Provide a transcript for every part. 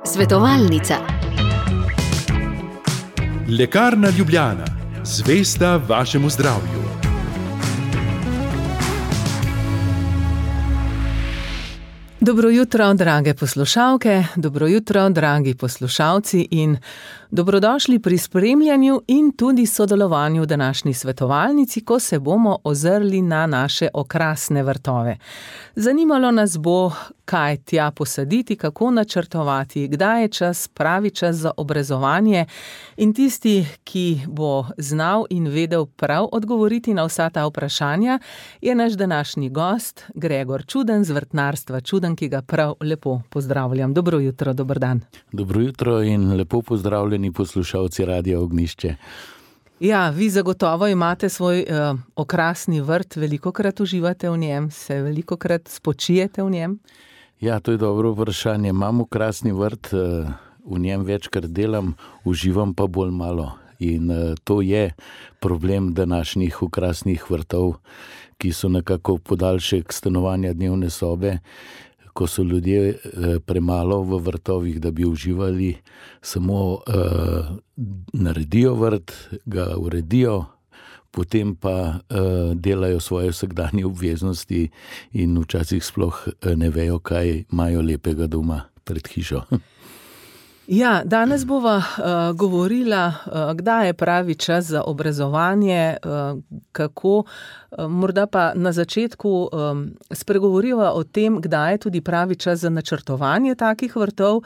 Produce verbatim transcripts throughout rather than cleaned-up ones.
Svetovalnica. Lekarna Ljubljana, zvesta vašemu zdravju. Dobro jutro, drage poslušalke, dobro jutro, dragi poslušalci in dobrodošli pri spremljanju in tudi sodelovanju v današnji svetovalnici, ko se bomo ozrli na naše okrasne vrtove. Zanimalo nas bo, kaj tja posaditi, kako načrtovati, kdaj je čas, pravi čas za obrezovanje, in tisti, ki bo znal in vedel prav odgovoriti na vsa ta vprašanja, je naš današnji gost, Gregor Čuden z vrtnarstva Čuden, ki ga prav lepo pozdravljam. Dobro jutro, dober dan. Dobro jutro in lepo pozdravljeni poslušalci Radia Ognjišče. Ja, vi zagotovo imate svoj uh, okrasni vrt, velikokrat uživate v njem, se velikokrat spočijete v njem? Ja, to je dobro vprašanje. Imam okrasni vrt, uh, v njem večkrat delam, uživam pa bolj malo. In uh, to je problem današnjih okrasnih vrtov, ki so nekako podaljšek stanovanja dnevne sobe. Ko so ljudje premalo v vrtovih, da bi uživali, samo uh, naredijo vrt, ga uredijo, potem pa uh, delajo svoje vsakdanje obveznosti in včasih sploh ne vejo, kaj imajo lepega doma pred hišo. Ja, danes bova uh, govorila, uh, kdaj je pravi čas za obrezovanje, uh, kako, uh, morda pa na začetku um, spregovoriva o tem, kdaj je tudi pravi čas za načrtovanje takih vrtov,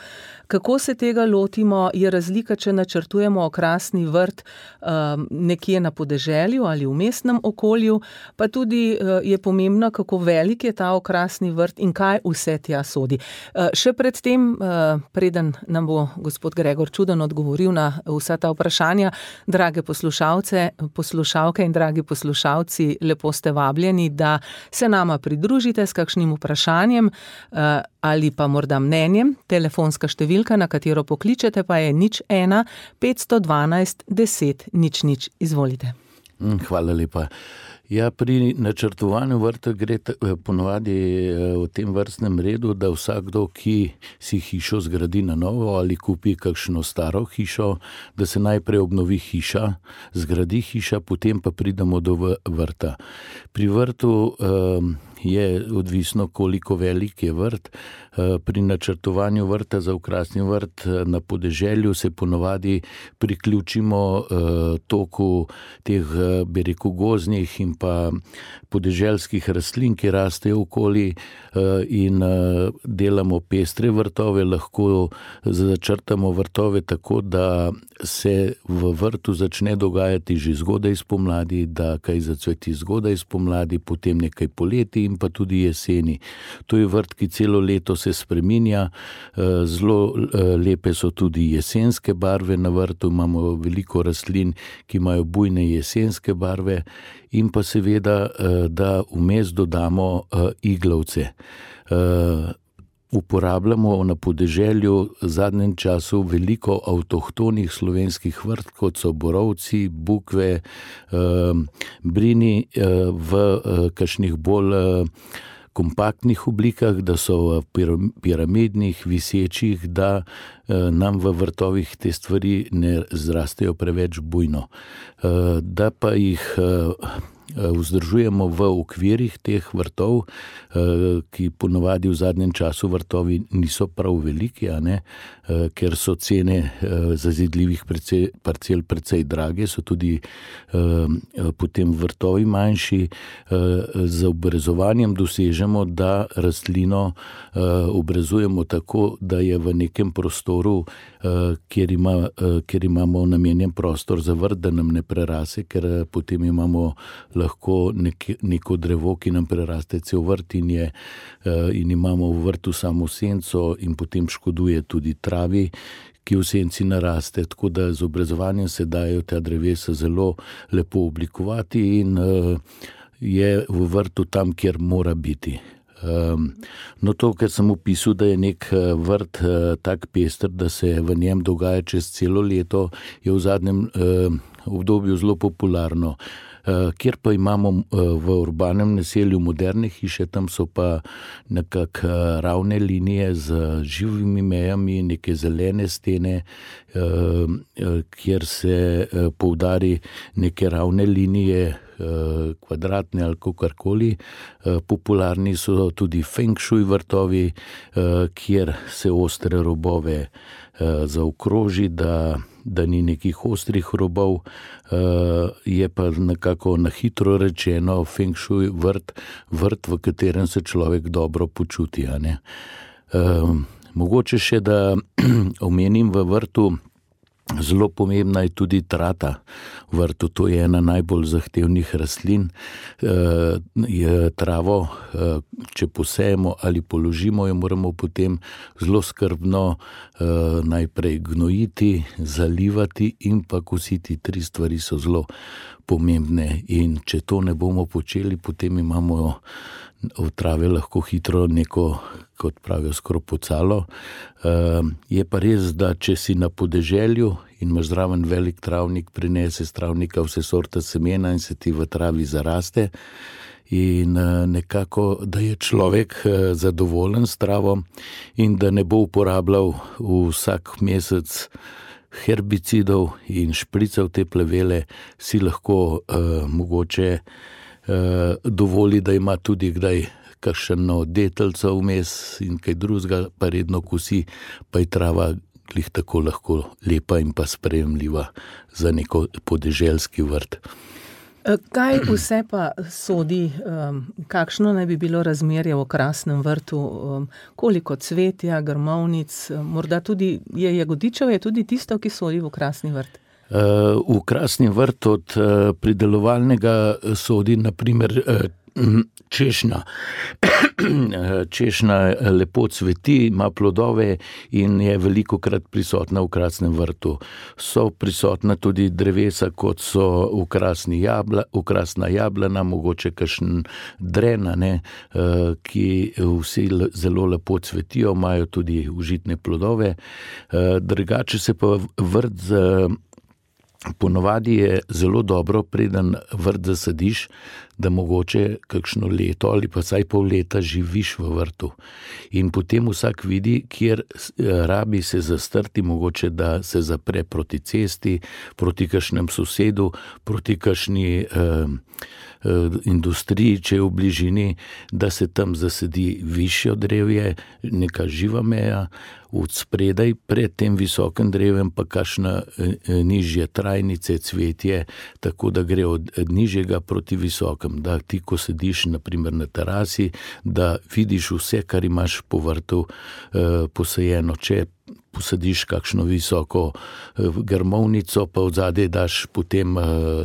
kako se tega lotimo, je razlika, če načrtujemo okrasni vrt um, nekje na podeželju ali v mestnem okolju, pa tudi uh, je pomembno, kako velik je ta okrasni vrt in kaj vse tja sodi. Uh, še pred tem, uh, preden nam bo gospod Gregor Čuden odgovoril na vsa ta vprašanja. Drage poslušalce, poslušalke in dragi poslušalci, lepo ste vabljeni, da se nama pridružite s kakšnim vprašanjem ali pa morda mnenjem. Telefonska številka, na katero pokličete, pa je nič ena petsto dvanajst deset nič nič. Izvolite. Hvala lepa. Ja, pri načrtovanju vrta gre ponovadi v tem vrstnem redu, da vsakdo, ki si hišo zgradi na novo ali kupi kakšno staro hišo, da se najprej obnovi hiša, zgradi hiša, potem pa pridemo do vrta. Pri vrtu um, je odvisno, koliko velik je vrt. Pri načrtovanju vrta za okrasni vrt na podeželju se ponovadi priključimo toku teh, bi rekel, gozdnih in pa podeželskih rastlin, ki rastejo okoli, in delamo pestre vrtove, lahko začrtamo vrtove tako, da se v vrtu začne dogajati že zgodaj spomladi, da kaj zacveti zgodaj spomladi, potem nekaj poleti in pa tudi jeseni. To je vrt, ki celo leto se spreminja, zelo lepe so tudi jesenske barve na vrtu, imamo veliko rastlin, ki imajo bujne jesenske barve, in pa seveda, da vmes dodamo iglavce. Uporabljamo na podeželju v zadnjem času veliko avtohtonih slovenskih vrt, kot so borovci, bukve, brini v kakšnih bolj kompaktnih oblikah, da so piramidnih, visečih, da nam v vrtovih te stvari ne zrastejo preveč bujno. Da pa jih vzdržujemo v okvirih teh vrtov, ki ponovadi v zadnjem času vrtovi niso prav veliki, a ne, ker so cene zazidljivih parcel precej drage, so tudi potem vrtovi manjši. Z obrezovanjem dosežemo, da rastlino obrezujemo tako, da je v nekem prostoru, kjer, ima, kjer imamo namenjen prostor za vrt, da nam ne prerase, ker potem imamo lahko nek, neko drevo, ki nam preraste cel vrt in, je, in imamo v vrtu samo senco in potem škoduje tudi travi, ki v senci naraste. Tako da z obrezovanjem se dajo ta drevesa zelo lepo oblikovati in je v vrtu tam, kjer mora biti. No, to, kar sem opisal, da je nek vrt tak pester, da se v njem dogaja čez celo leto, je v zadnjem obdobju zelo popularno. Kjer pa imamo v urbanem naselju moderne hiše, tam so pa nekako ravne linije z živimi mejami, neke zelene stene, kjer se poudari neke ravne linije, kvadratne ali kakorkoli. Popularni so tudi feng shui vrtovi, kjer se ostre robove zaokroži, da, da ni nekih ostrih robov. Je pa nekako na hitro rečeno feng shui vrt, vrt, v katerem se človek dobro počuti. A ne? Mogoče še, da omenim v vrtu, zelo pomembna je tudi trata v vrtu. To je ena najbolj zahtevnih rastlin. Je travo, če posejemo ali položimo, jo moramo potem zelo skrbno najprej gnojiti, zalivati in pa kositi. Tri stvari so zelo pomembne in če to ne bomo počeli, potem imamo v trave lahko hitro neko, kot pravijo, skropocalo. Je pa res, da če si na podeželju in imaš zraven velik travnik, prinese s travnika vse sorte semena in se ti v travi zaraste. In nekako, da je človek zadovoljen s travo in da ne bo uporabljal vsak mesec herbicidov in šprical te plevele, si lahko uh, mogoče uh, dovoli, da ima tudi kdaj kakšno detelco vmes in kaj drugega, pa redno kosi, pa je trava glih tako lahko lepa in pa sprejemljiva za neko podeželski vrt. Kaj vse pa sodi, kakšno naj bi bilo razmerje v okrasnem vrtu, koliko cvetja, grmovnic, morda tudi je jagodičev, je tudi tisto, ki sodi v okrasni vrt? V okrasni vrt od pridelovalnega sodi na primer češnja. Češnja lepo cveti, ima plodove in je velikokrat prisotna v okrasnem vrtu. So prisotna tudi drevesa, kot so okrasni jabla, okrasna jablana, mogoče kakšen dren, ne, ki vsi zelo lepo cvetijo, imajo tudi užitne plodove. Drugače se pa vrt z Ponovadi je zelo dobro, preden vrt zasadiš, da mogoče kakšno leto ali pa vsaj pol leta živiš v vrtu. In potem vsak vidi, kjer rabi se zastrti, mogoče da se zapre proti cesti, proti kakšnem sosedu, proti kakšni eh, industriji, če je v bližini, da se tam zasadi višjo drevje, neka živa meja, od spredaj pred tem visokim drevem pa kakšna nižje trajnice, cvetje, tako da gre od nižjega proti visokem, da ti, ko sediš na primer na terasi, da vidiš vse, kar imaš po vrtu eh, posajeno. Če posadiš kakšno visoko grmovnico, pa od zadaj daš potem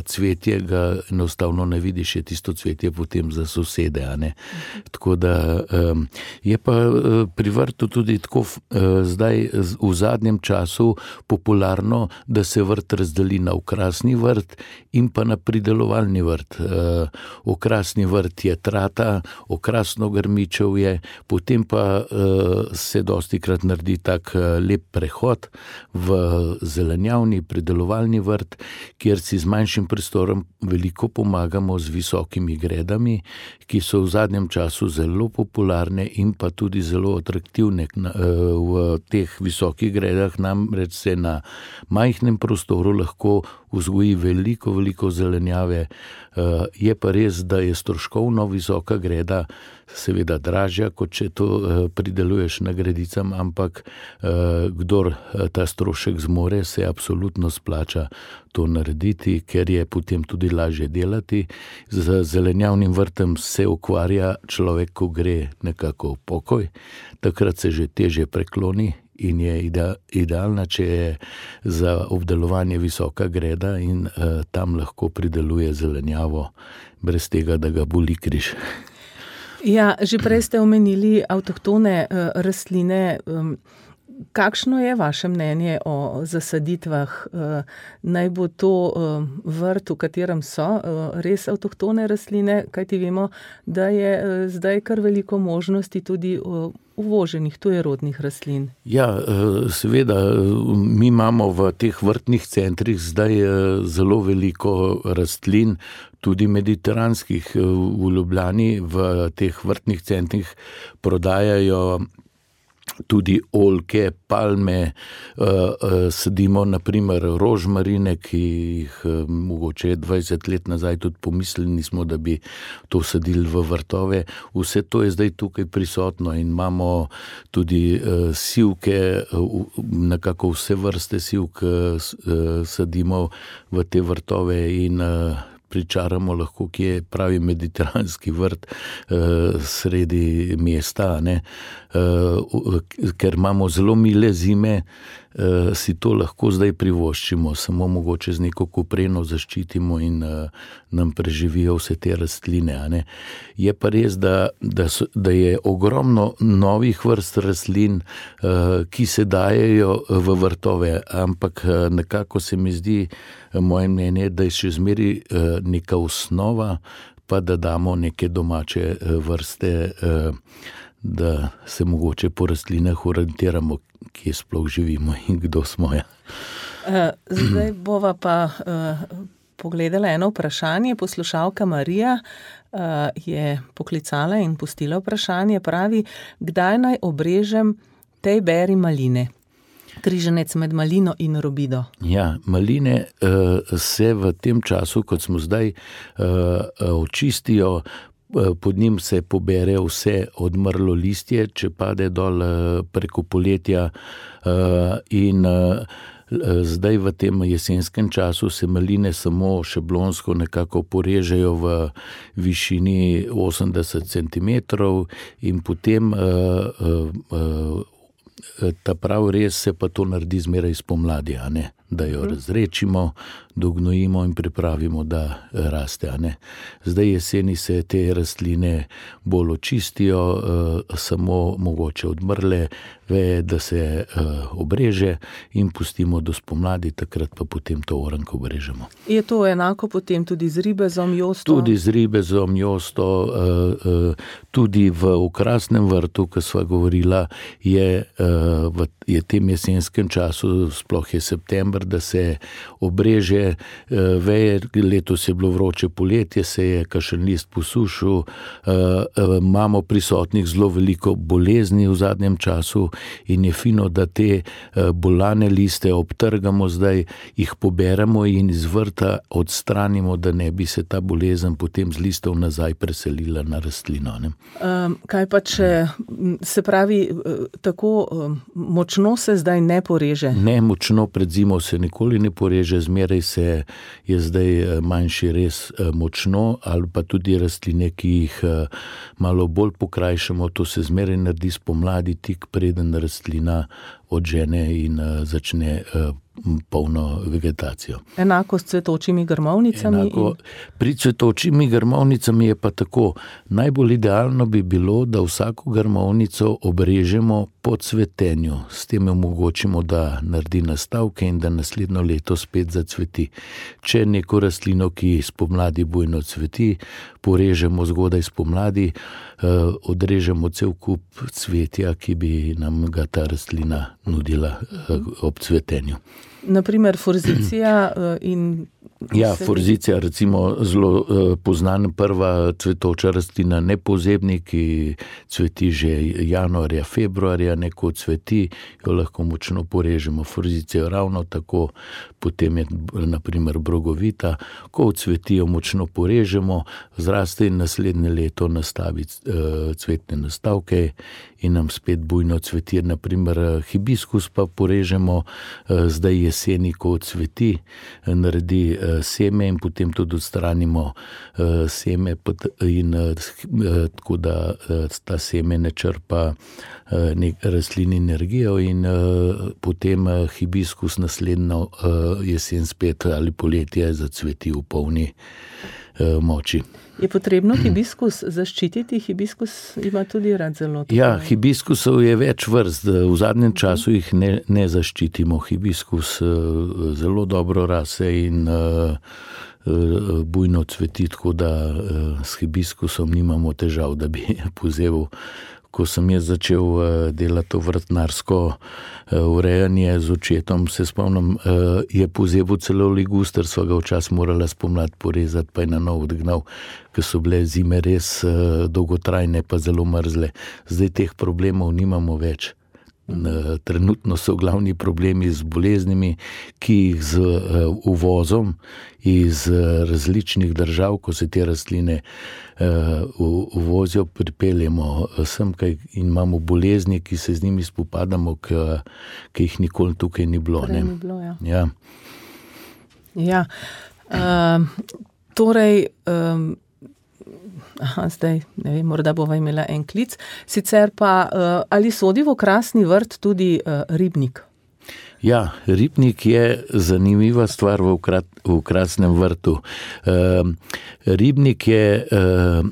cvetje, ga enostavno ne vidiš, je tisto cvetje potem za sosede, a ne. Tako da je pa pri vrtu tudi tako zdaj v zadnjem času popularno, da se vrt razdeli na okrasni vrt in pa na pridelovalni vrt. Okrasni vrt je trata, okrasno grmičevje, potem pa se dostikrat naredi tak lep prehod v zelenjavni pridelovalni vrt, kjer si z manjšim prostorom veliko pomagamo z visokimi gredami, ki so v zadnjem času zelo popularne in pa tudi zelo atraktivne. V teh visokih gredah namreč se na majhnem prostoru lahko vzgoji veliko, veliko zelenjave. Je pa res, da je stroškovno visoka greda seveda dražja, kot če to prideluješ na gredicam, ampak kdor ta strošek zmore, se absolutno splača to narediti, ker je potem tudi lažje delati. Z zelenjavnim vrtem se ukvarja človek, ko gre nekako v pokoj, takrat se že težje prekloni in je idealna, če je za obdelovanje visoka greda in uh, tam lahko prideluje zelenjavo, brez tega, da ga boli križ. Ja, že prej ste omenili avtohtone uh, rastline. Um, Kakšno je vaše mnenje o zasaditvah? Naj bo to vrt, v katerem so res avtohtone rastline, kajti vemo, da je zdaj kar veliko možnosti tudi uvoženih tujerodnih rastlin. Ja, seveda, mi imamo v teh vrtnih centrih zdaj zelo veliko rastlin, tudi mediteranskih. V Ljubljani v teh vrtnih centrih prodajajo tudi oljke, palme, sadimo naprimer rožmarine, ki jih mogoče dvajset let nazaj tudi pomislili nismo, da bi to sadili v vrtove. Vse to je zdaj tukaj prisotno in imamo tudi sivke, nekako vse vrste sivk sadimo v te vrtove in pričaramo lahko, ki je pravi mediteranski vrt sredi mesta, ne. Ker imamo zelo mile zime, si to lahko zdaj privoščimo, samo mogoče z neko kopreno zaščitimo in nam preživijo vse te rastline, a ne. Je pa res, da, da, so, da je ogromno novih vrst rastlin, ki se dajejo v vrtove, ampak nekako se mi zdi, moje mnenje, da je še zmeri neka osnova, pa da damo neke domače vrste, da se mogoče po rastlinah orientiramo, kje sploh živimo in kdo smo. Ja. Zdaj bova pa pogledala eno vprašanje. Poslušalka Marija je poklicala in pustila vprašanje, pravi, kdaj naj obrežem tej beri maline? Križanec med malino in robido. Ja, maline uh, se v tem času, kot smo zdaj, uh, očistijo, uh, pod njim se pobere vse odmrlo listje, če pade dol uh, preko poletja uh, in uh, zdaj v tem jesenskem času se maline samo šablonsko nekako porežejo v višini osemdeset centimetrov in potem uh, uh, uh, ta prav res se pa to naredi zmeraj spomladi, a ne? Da jo razrečimo, dognojimo in pripravimo, da raste, a ne. Zdaj jeseni se te rastline bolj očistijo, samo mogoče odmrle veje, da se obreže in pustimo do spomladi, takrat pa potem to oranko obrežemo. Je to enako potem tudi z ribezom, josto? Tudi z ribezom, josto, tudi v okrasnem vrtu, ko sva govorila, je v je tem jesenskem času, sploh je september, da se obreže veje, letos je bilo vroče poletje, se je kakšen list posušil, imamo prisotnih zelo veliko bolezni v zadnjem času in je fino, da te bolane liste obtrgamo zdaj, jih poberemo in iz vrta odstranimo, da ne bi se ta bolezen potem z listov nazaj preselila na rastlino. Ne? Kaj pa če, se pravi, tako močno se zdaj ne poreže? Ne, močno pred zimo se nikoli ne poreže, zmeraj se je zdaj manjši res močno, ali pa tudi rastline, ki jih malo bolj pokrajšamo, to se zmeraj naredi spomladi, tik preden rastlina odžene in začne polno vegetacijo. Enako s cvetočimi grmovnicami? Enako, pri cvetočimi grmovnicami je pa tako. Najbolj idealno bi bilo, da vsako grmovnico obrežemo po cvetenju. S tem omogočimo, da naredi nastavke in da naslednjo leto spet zacveti. Če neko rastlino, ki spomladi bujno cveti, porežemo zgodaj spomladi, odrežemo cel kup cvetja, ki bi nam ga ta rastlina nudila ob cvetenju. Naprimer forzicija in... Ja, forzicija, recimo zelo poznan prva cvetoča rastlina nepozebnik, ki cveti že januarja, februarja, neko cveti, jo lahko močno porežemo. Forzicijo ravno tako, potem je naprimer brogovita, ko cvetijo močno porežemo, zraste in naslednje leto nastavi cvetne nastavke in nam spet bujno cveti. Naprimer hibiskus pa porežemo zdaj jeseni, ko cveti, naredi seme in potem tudi odstranimo seme in tako da ta seme ne črpa rastlin energijo in potem hibiskus naslednjo jesen spet ali poletje zacveti v polni moči. Je potrebno hibiskus zaščititi? Hibiskus ima tudi rad zelo tako. Ja, hibiskusov je več vrst. V zadnjem času jih ne, ne zaščitimo. Hibiskus zelo dobro rase in bujno cveti, tako da s hibiskusom nimamo težav, da bi pozeval. Ko sem jaz začel delati to vrtnarsko urejanje z očetom, se spomnim, je pozebil celo liguster, sva ga včasih morala spomladi porezati, pa je na nov odgnal, ker so bile zime res dolgotrajne, pa zelo mrzle. Zdaj teh problemov nimamo več. Trenutno so glavni problemi z boleznimi, ki jih z uvozom iz različnih držav, ko se te rastline uvozijo, pripeljemo sem in imamo bolezni, ki se z njimi spopadamo, ki jih nikoli tukaj ni bilo. Prej ni bilo, ja. Ja. Ja. Uh, torej, um, aha, zdaj, ne vem, morda bova imela en klic. Sicer pa, uh, ali sodi v okrasni vrt tudi uh, ribnik? Ja, ribnik je zanimiva stvar v, ukrat, v okrasnem vrtu. Uh, ribnik je uh,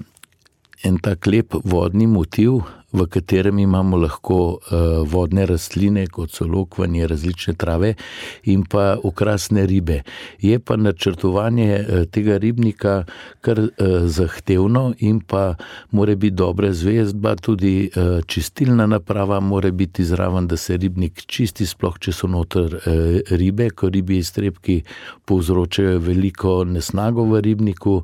en tak lep vodni motiv, v katerem imamo lahko uh, vodne rastline, kot so lokvanje, različne trave in pa okrasne ribe. Je pa načrtovanje uh, tega ribnika kar uh, zahtevno in pa mora biti dobra zvezdba, tudi uh, čistilna naprava mora biti zraven, da se ribnik čisti, sploh če so noter uh, ribe, ko ribi iztrebki povzročajo veliko nesnago v ribniku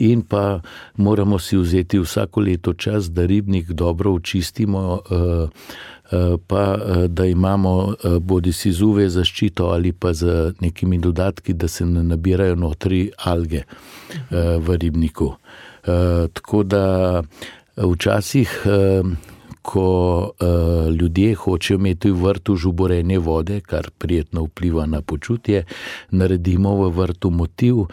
in pa moramo si vzeti vsako leto čas, da ribnik dobro očistimo, pa da imamo bodi si z U V zaščito ali pa z nekimi dodatki, da se ne nabirajo notri alge v ribniku. Tako da včasih, ko uh, ljudje hočejo imeti v vrtu žuborenje vode, kar prijetno vpliva na počutje, naredimo v vrtu motiv, uh,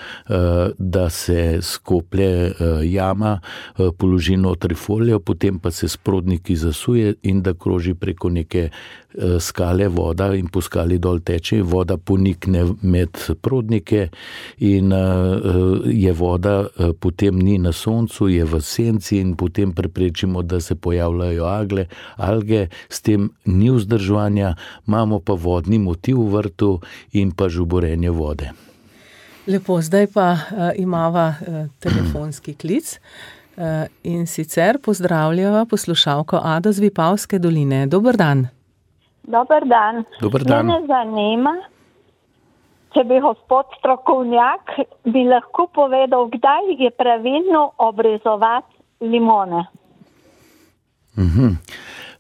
da se skoplje uh, jama, uh, položi notri folijo, potem pa se s prodniki zasuje in da kroži preko neke uh, skale voda in po skali dol teče, voda ponikne med prodnike in uh, je voda uh, potem ni na soncu, je v senci in potem preprečimo, da se pojavljajo Agle, alge, s tem ni vzdrževanja, imamo pa vodni motiv v vrtu in pa žuborenje vode. Lepo, zdaj pa uh, imava uh, telefonski klic uh, in sicer pozdravljava poslušalko Ado z Vipavske doline. Dober dan. Dober dan. Dober dan. Mene zanima, če bi gospod strokovnjak bi lahko povedal, kdaj je pravilno obrezovati limone. Uhum.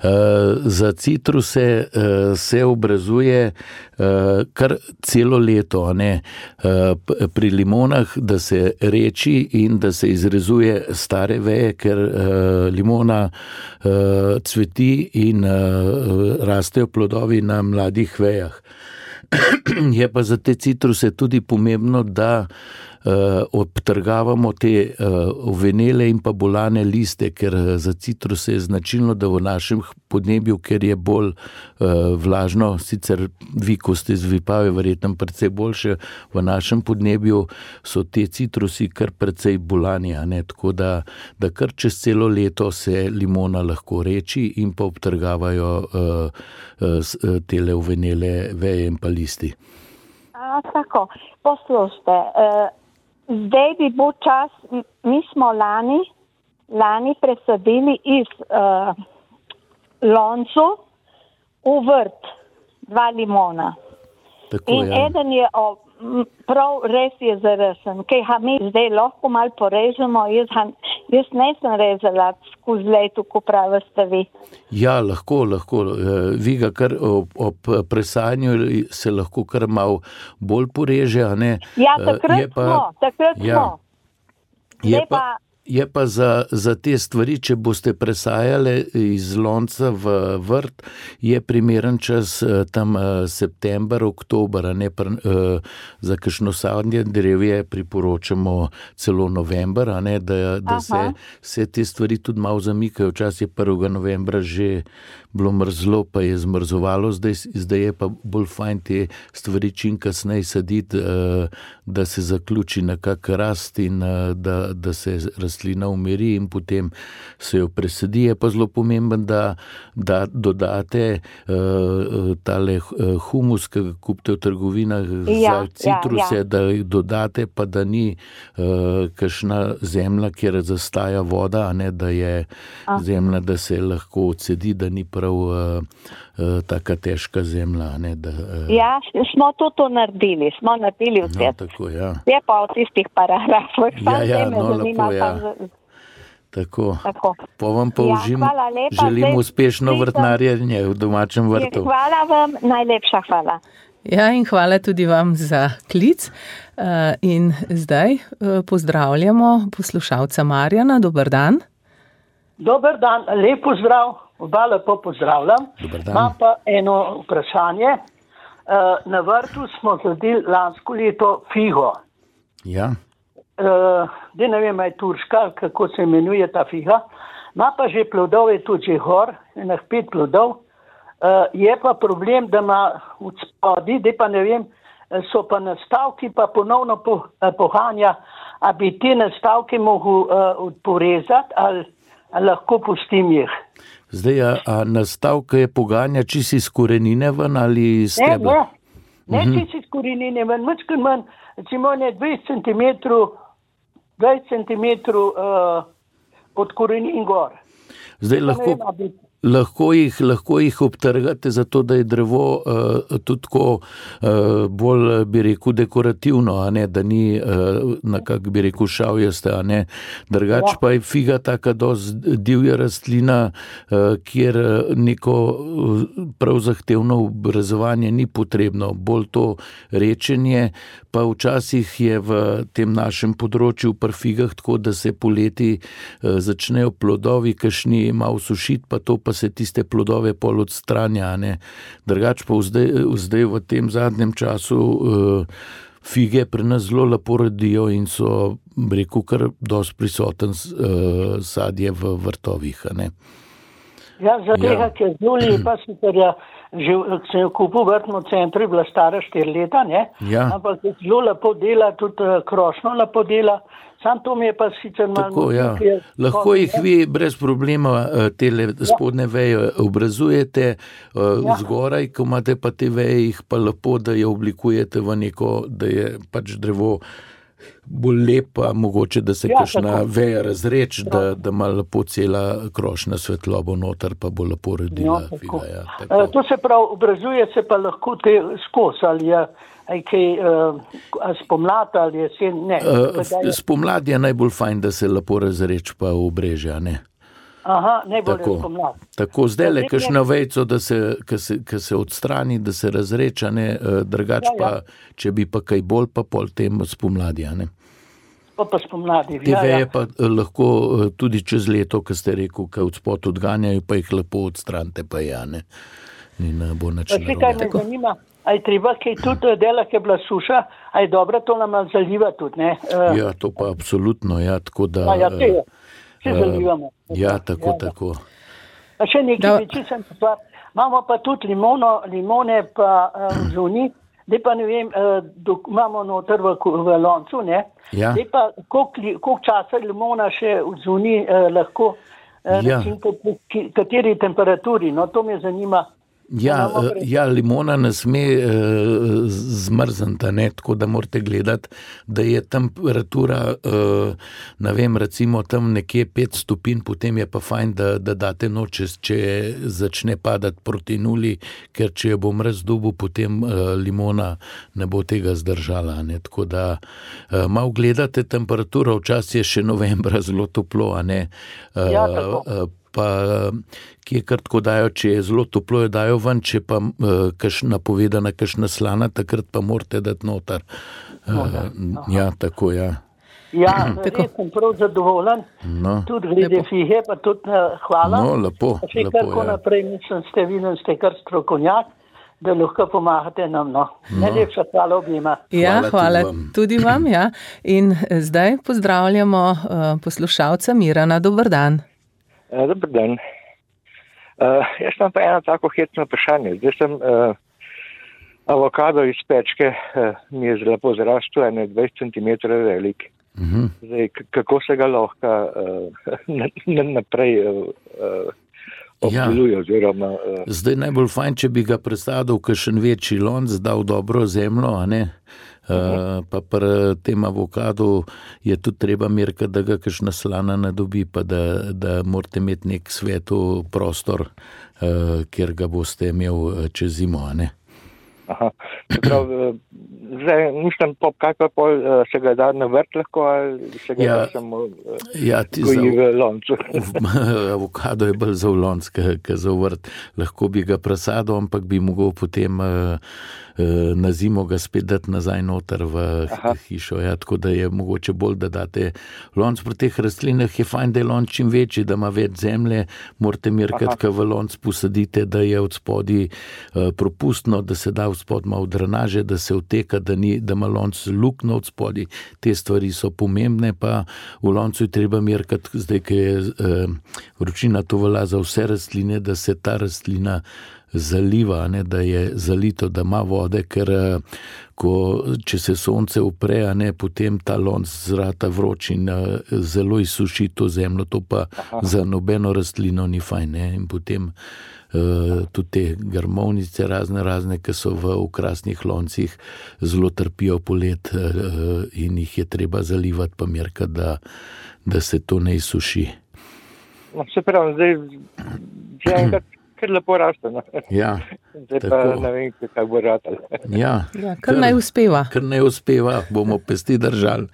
Uh, za citruse uh, se obrezuje uh, kar celo leto, ne? Uh, pri limonah, da se reči in da se izrezuje stare veje, ker uh, limona uh, cveti in uh, rastejo plodovi na mladih vejah. Je pa za te citruse tudi pomembno, da Uh, obtrgavamo te uh, ovenele in pa bolane liste, ker za citruse je značilno, da v našem podnebju, ker je bolj uh, vlažno, sicer vi, ko ste z Vipave, verjetno precej boljše, v našem podnebju so te citrusi kar precej bolani, a ne? Tako da, da kar čez celo leto se limona lahko reči in pa obtrgavajo uh, uh, tele ovenele veje in pa listi. A, tako, poslušajte, uh... Zdaj bi bil čas, mi smo lani, lani presadili iz uh, loncu v vrt dva limona. Tako, in ja. eden je o, prav res je zaresen, ki ga mi zdaj lahko malo porežemo, jaz, jaz nisem rezala skozi leto, ko pravite vi. Ja, lahko, lahko. Vi ga kar ob, ob presajanju se lahko kar malo bolj poreže, a ne? Ja, takrat pa, smo, takrat ja, smo. Zdaj pa, pa Je pa za, za te stvari, če boste presajali iz lonca v vrt, je primeren čas tam september, oktober, ne pr, za kakšno sadje drevje priporočamo celo november, a ne, da, da se, se te stvari tudi malo zamikajo. Včasih je prvega novembra že bilo mrzlo, pa je zmrzovalo, zdaj, zdaj je pa bolj fajn te stvari čim kasneje saditi, da se zaključi nekak rast in da, da se rastlina umiri in potem se jo presadi. Je pa zelo pomemben, da, da dodate uh, tale humus, ki ga kupite v trgovinah ja, za citruse, ja, ja. da jih dodate, pa da ni uh, kakšna zemlja, kjer zastaja voda, a ne, da je a. zemlja, da se lahko odsedi, da ni prav uh, uh, taka težka zemlja. Ne, da, uh, ja, smo to, to naredili, smo naredili vse. No, tako, ja. Je pa v tistih paragrafih. Ja, ja, no, lepo, ja. Tako. Tako. Po vam pa užim, ja, želim uspešno vrtnarjenje v domačem vrtu. Hvala vam, najlepša hvala. Ja, in hvala tudi vam za klic. In zdaj pozdravljamo poslušalca Marjana. Dober dan. Dober dan, lep pozdrav, oba lepo pozdravljam. Imam pa eno vprašanje. Na vrtu smo zadeli lansko leto figo. Ja. Uh, da ne vem, je turška, kako se imenuje ta figa. Ima pa že plodov, je tudi že gor, enih pet plodov. Uh, je pa problem, da ima v spodi, da pa ne vem, so pa nastavki pa ponovno po, uh, pohanja, a bi te nastavke mogel uh, porezati ali, ali lahko pustim jih. Zdaj, a, a nastavke je poganja čisi iz korenine ven ali iz tebe? Ne, ne, ne mm-hmm. čisi iz korenine ven, mačkaj manj, recimo ne dvajset centimetrov, dvajset centimetrov uh, od korenin gor. Zdaj lahko, lahko, jih, lahko jih obtrgate, zato da je drevo uh, tudi tako uh, bolj, bi rekel, dekorativno, a ne, da ni uh, nekak, bi rekel, šavjaste, a ne. Drugač ja. Pa je figa taka dosti divja rastlina, uh, kjer neko uh, prav zahtevno obrazovanje ni potrebno, bolj to rečenje, pa včasih je v tem našem področju pri figah tako, da se poleti uh, začnejo plodovi, kakšni malo sušiti, pa to pa se tiste plodove pol odstranja, ne. Drugač pa zdaj, zdaj v tem zadnjem času uh, fige pri nas zelo lepo rodijo in so, rekel, kar dosti prisoten uh, sadje v vrtovih, a ne. Ja, za tega, ja. Ker zelo lepa sicer je, že sem jo kupil v vrtnem centru, je bila stara štiri leta, ne, ja. Ampak zelo lepo dela, tudi krošno lepo dela. Sam to mi je pa sicer malo... Tako, ja. Lahko jih vi brez problema tele spodne veje obrazujete ja. Zgoraj, ko imate pa te veje, jih pa lepo, da jo oblikujete v neko, da je pač drevo bolj lepa, mogoče, da se ja, kakšna tako. Veja razreč, ja. da, da ima lepo cela krošna svetlobo noter, pa bo lepo rodila. Ja, figa, ja, uh, to se prav, obrazuje se pa lahko te skos, ali je aj kaj uh, spomlad ali jesen, ne. Uh, spomlad je najbolj fajn, da se lepo razreč pa obreže, ne. Aha, najbolj je spomlad. Tako, zdaj le kakšna vejco, da se, ka se, ka se odstrani, da se razreča, ne, drugač ja, ja. Pa, če bi pa kaj bolj, pa pol tem spomladi, ne. Pa pa spomladi, te ja, veje ja. Pa lahko tudi čez leto, ko ste rekel, kaj od spod odganjajo, pa jih lepo odstranite, pa ja, ne. In bo nič narobe. Kaj me zanima, a je treba kaj tudi dela, ki je bila suša, a je dobro to nam zaliva tudi, ne? Uh, ja, to pa absolutno, ja, tako da... A ja, te je, vse uh, zalivamo. Ja, tako, ja, tako. A še nekaj veči sem stvar, imamo pa tudi limono, limone pa uh, zuni, da pa ne vem, uh, dok, imamo noter v, v loncu, ne? Ja. Da pa koliko časa limona še v zuni uh, lahko, uh, ja. Recim, po kateri temperaturi, no to me zanima. Ja, ja, limona ne sme uh, zmrzniti, ne, tako da morate gledati, da je temperatura, uh, ne vem, recimo tam nekje pet stopinj, potem je pa fajn, da, da date noč, če začne padati proti nuli, ker če je bo mraz dobu, potem uh, limona ne bo tega zdržala, ne, tako da uh, malo gledate temperaturo, včasih je še novembra zelo toplo, a ne. Uh, ja, tako. Uh, pa kje kar tako dajo, če je zelo toplo, jo dajo ven, če pa uh, kakšna povedana, kakšna slana, takrat pa morate dati noter. Uh, ja, tako, ja. Ja, res sem prav zadovoljen. No. Tudi glede fihe, pa tudi uh, hvala. No, lepo, Še lepo, kar ja. ko naprej, mislim, ste videli, ste kar strokovnjak, da lahko pomagate nam. No. No. Najlepša hvala objema. Ja, Hvala hvala tudi vam. tudi vam. Ja. In zdaj pozdravljamo uh, poslušalca Mirana. Dober dan. Uh, dober dan. Uh, jaz imam pa eno tako hecno vprašanje. Zdaj sem uh, avokado iz pečke, uh, mi je lepo zrastel, ene dvajset centimetrov velik. Mhm. Zdaj, k- kako se ga lahko uh, na- na- naprej uh, uh, obdeluje Ja. oziroma... Uh, Zdaj najbolj fajn, če bi ga presadil v kakšen večji lonc, dal dobro zemljo, a ne? Uh, pa pri tem avokadu je tudi treba merkati, da ga kakšna slana ne dobi, pa da, da morate imeti nek svetu prostor, uh, kjer ga boste imel čez zimo, a ne? aha. Prav, uh, zdaj, mislim, pop, kaj pa pol uh, se ga da na vrt lahko, ali se ga Ja. da samo uh, Ja, ti goji za, v loncu. avokado je bolj za v lonc, ke za v vrt. Lahko bi ga presadil, ampak bi mogel potem uh, uh, na zimo ga spet dati nazaj noter v Aha. hišo. Ja, tako da je mogoče bolj, da date lonc. Pri teh rastlinah je fajn, da je lonc čim večji, da ima več zemlje. Morate merkati, ko v lonc posadite, da je od spodaj uh, propustno, da se da v spod malo drenaže, da se vteka, da, ni, da ima lonc luknjo od spodaj. Te stvari so pomembne, pa v loncu je treba merkati, zdaj, ko je uh, vročina, to velja za vse rastline, da se ta rastlina zaliva, ne, da je zalito, da ima vode, ker uh, ko, če se sonce upre, a ne, potem ta lonc zrata vroč in uh, zelo izsuši to zemljo, to pa Aha. za nobeno rastlino ni fajn. Ne, in potem Uh, tudi te grmovnice razne razne, ki so v okrasnih loncih, zelo trpijo polet uh, in jih je treba zalivati, pa merkati, da, da se to ne izsuši. No, se pravi, zdaj že enkrat kar lepo raste. No. Ja, Zdaj pa tako. ne vem, kaj bo ratal. ja, Ja, kar naj uspeva. Kar ne uspeva, bomo pesti držali.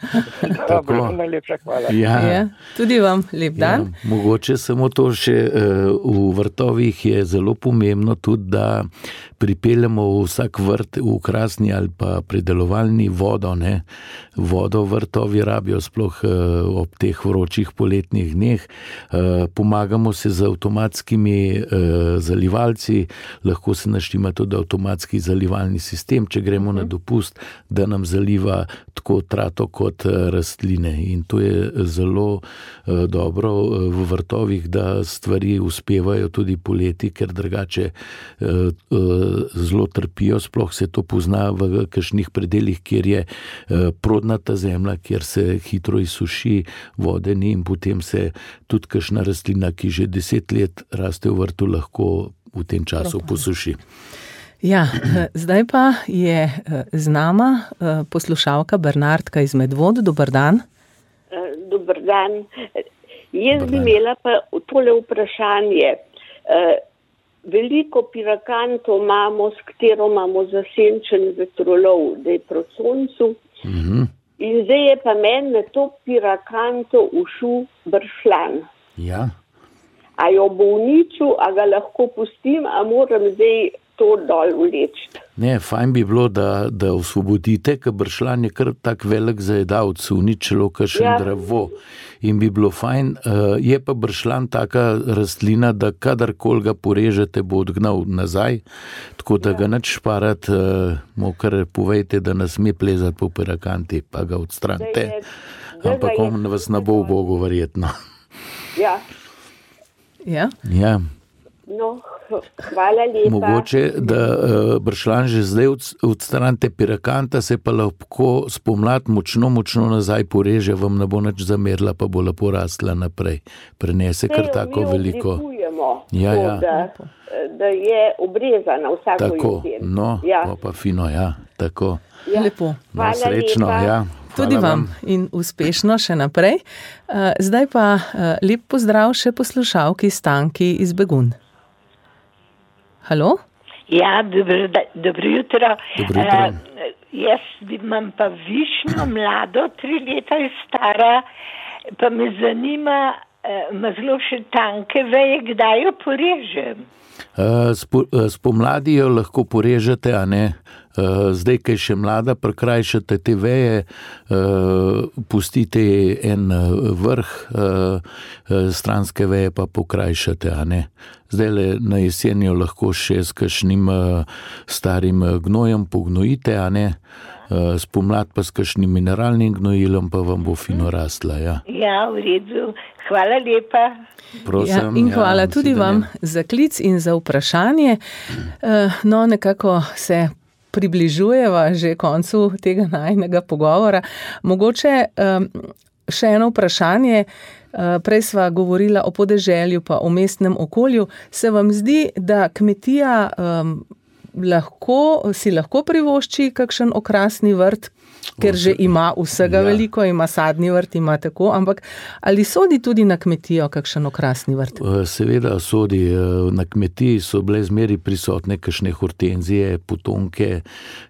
Dobro, najlepša hvala. Ja. Ja, tudi vam lep dan. Ja, mogoče samo to še uh, v vrtovih je zelo pomembno tudi, da pripeljemo v vsak vrt, v okrasni ali pa pridelovalni vodo. Ne? Vodo vrtovi rabijo sploh uh, ob teh vročih poletnih dneh. Uh, pomagamo se z avtomatskimi uh, zalivalci, lahko se naštima tudi avtomatski zalivalni sistem, če gremo uh-huh. na dopust, da nam zaliva tako trato kot uh, rastline. In to je zelo uh, dobro uh, v vrtovih, da stvari uspevajo tudi poleti, ker drugače uh, uh, zelo trpijo, sploh se to pozna v kakšnih predeljih, kjer je uh, prodnata zemlja, kjer se hitro izsuši, vode ni in potem se tudi kakšna rastlina, ki že deset let raste v vrtu, lahko v tem času posuši. Ja, zdaj pa je z nama poslušalka Bernardka iz Medvod. Dober dan. Dober dan. Jaz Dobar bi dan. imela pa tole vprašanje. Veliko pirakantov imamo, s katero imamo zasenčen vetrolov, da je proti soncu. Mhm. In zdaj je pa meni na to pirakanto ušel bršljan. Ja. A jo bo uničil, a ga lahko pustim, a moram zdaj to dol vleči. Ne, fajn bi bilo, da, da osvobodite, ker bršljan je kar tak velik zajedavc, uničilo kakšen Ja. drevo. In bi bilo fajn, uh, je pa bršljan taka rastlina, da kadarkoli ga porežete, bo odgnal nazaj, tako da ga nič šparati, uh, mu kar povejte, da ne sme plezati po pirakanti, pa ga odstranite. Zdaj je- zdaj Ampak ga je- on vas ne bo v Bogu verjetno. Ja, Ja. Ja. no, hvala lepa. Mogoče, da uh, bršljan že zdaj od, odstranite pirakanta, se pa lahko spomladi močno, močno nazaj poreže, vam ne bo nič zamerila, pa bo lepo rastla naprej. Prenese kar Saj jo tako mi veliko. oblikujemo, Ja, tako ja. Da, da je obrezana vsako Tako, jesen. no, ja. pa, pa fino, ja, tako. Ja. Lepo. No, Hvala srečno, lepa. ja. Tudi Hvala vam in uspešno še naprej. Uh, zdaj pa uh, lep pozdrav še poslušalki Stanki iz Begunj. Halo? Ja, dobro, da- dobro jutro. Dobro jutro. Eh, jaz imam pa višnjo mlado, tri leta je stara, pa me zanima, ima zelo še tanke veje, kdaj jo porežem? Spomladi jo lahko porežete, a ne? Zdaj, kaj še mlada, prekrajšate te veje, pustite en vrh, stranske veje pa pokrajšate, a ne? Zdaj na jesen jo lahko še s kakšnim starim gnojem pognojite, a ne? Spomlad pa s kakšnim mineralnim gnojilom pa vam bo fino rastla, ja. Ja, v redu. Hvala lepa. Ja, in hvala ja, tudi vam za klic in za vprašanje. No, nekako se približujeva že koncu tega najinega pogovora. Mogoče še eno vprašanje. Prej sva govorila o podeželju pa o mestnem okolju. Se vam zdi, da kmetija um, lahko, si lahko privošči kakšen okrasni vrt, ker že ima vsega ja. veliko, ima sadni vrt, ima tako, ampak ali sodi tudi na kmetijo kakšen okrasni vrt? Seveda sodi. Na kmetiji so bile zmeri prisotne kakšne hortenzije, potonke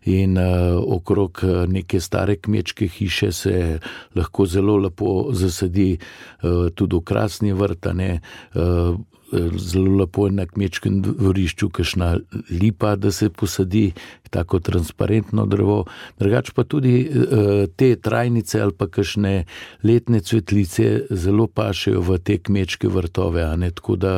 in uh, okrog neke stare kmečke hiše se lahko zelo lepo zasadi uh, tudi okrasni vrt, ne, uh, zelo lepo je na kmečkem dvorišču kakšna lipa, da se posadi, tako transparentno drevo. Drugače pa tudi uh, te trajnice ali pa kakšne letne cvetlice zelo pašejo v te kmečke vrtove, a ne? Tako da,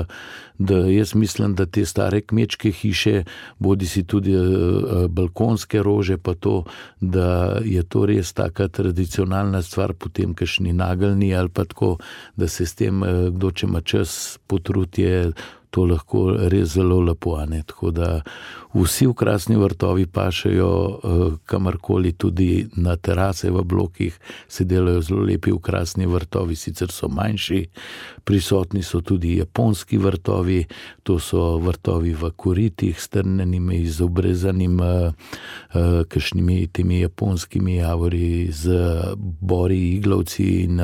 da jaz mislim, da te stare kmečke hiše, bodi si tudi uh, balkonske rože, pa to, da je to res taka tradicionalna stvar, potem kakšni nageljni ali pa tako, da se s tem, uh, kdo če ima čas potrud, je to lahko res zelo lepo, a ne? Tako da vsi okrasni vrtovi pašejo kamorkoli, tudi na terase v blokih se delajo zelo lepi okrasni vrtovi, sicer so manjši, prisotni so tudi japonski vrtovi, to so vrtovi v koritih, strnenimi, izobrezanim, kakšnimi temi japonskimi javori z bori, iglavci in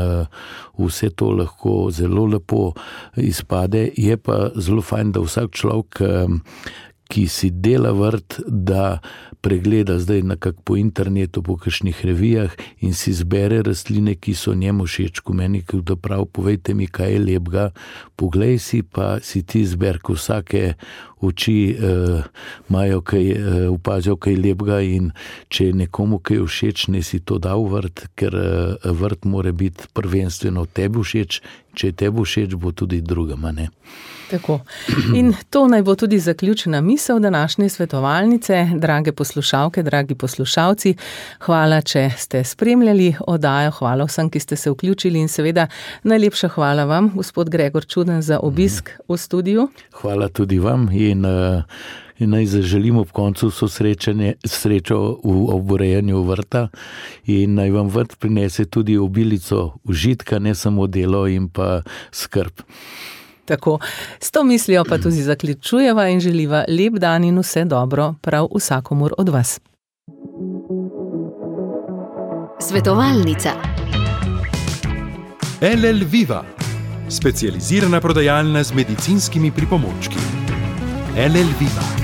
vse to lahko zelo lepo izpade. Je pa zelo fajn, da vsak človek, ki si dela vrt, da pregleda zdaj nekako po internetu, po kakšnih revijah in si zbere rastline, ki so njemu všeč. Ko meni kdo prav, povejte mi, kaj je lepega, poglej si, pa si ti zber, ko vsake oči uh, imajo kaj, uh, opazijo kaj lepega, in če je nekomu kaj všeč, ne si to dal vrt, ker uh, vrt mora biti prvenstveno tebi všeč, če je tebi všeč, bo tudi drugama, ne. Tako. In to naj bo tudi zaključena misel današnje svetovalnice. Drage poslušalke, dragi poslušalci, hvala, če ste spremljali oddajo, hvala vsem, ki ste se vključili, in seveda najlepša hvala vam, gospod Gregor Čuden, za obisk v studiu. Hvala tudi vam in, in naj zaželim ob koncu srečo v oborejanju vrta in naj vam vrt prinese tudi obilico užitka, ne samo delo in pa skrb. Tako, s to mislijo pa tudi zaključujeva in želiva lep dan in vse dobro prav vsakomur od vas. Svetovalnica L L Viva, specializirana prodajalna z medicinskimi pripomočki. L L Viva.